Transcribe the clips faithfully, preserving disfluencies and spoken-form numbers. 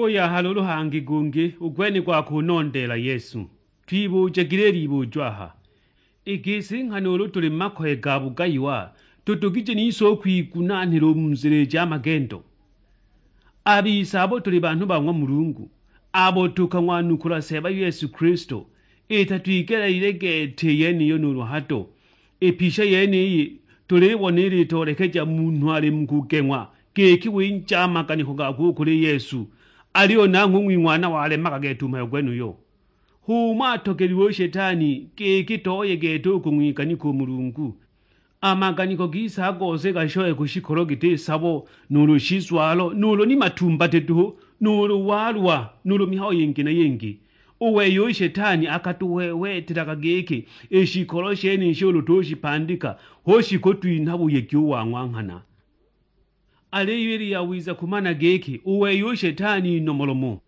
Uyahala ulu hangi gungi u gwene gwa kunondeela Yesu. Twibujagile libujo aha, i gisi nghana ulu tuli mu makoye ga bugayiwa, tutogije nise u kwigunanhila u mu nzila i ja magendo? A bise abo tuli banhu ba ng'wa Mulungu, abo tukang'wanukula Seeba Yesu Kilisto, ita twigeleelile gete i yeniyo nuulu hado. I pisha yeniyi tulibona ilitoolekeja munhu ali mu kugeng'wa giki winja a maganiko gakwe u kuli Yesu, aliyo nanghwe u ng'wing'wana walemaga gete u mhayo gwenuyo. H'umo atogelilwe u Shetani giki toye gete u kung'wiganika u Mulungu. A maganiko gise a gose gashoye ku shikolo giti sabo, nuulu shizwalo, nuulu ni matumbati duhu, nuulu walwa, nuulu mihayo yingi na yingi. U wei u Shetani akatuhwehwetelaga giki i shikolo shenishi ulu tushipandika, hu shikutwinha buyegi u wa ng'wa nghana. Aliyo ili yawiza kumana giki u wei u Shetani inomolomo,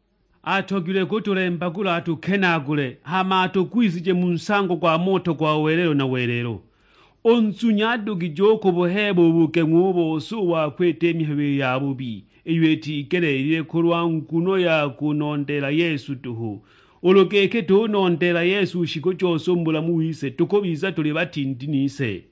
atogilwe kutulembagula atukenaagule, hama atugwisije mu nsango gwa moto gwa welelo na welelo. U nzunya adugije u kubuheeba u bugeng'wa u bose u wa kwita i mihayo i yabubi, iyo itigeleelile kulwa nguno ya kunondeela Yesu duhu. Ulu giki tunondeela Yesu u shiku jose u mu bulamu wise, tukubiza tuli batindi nise.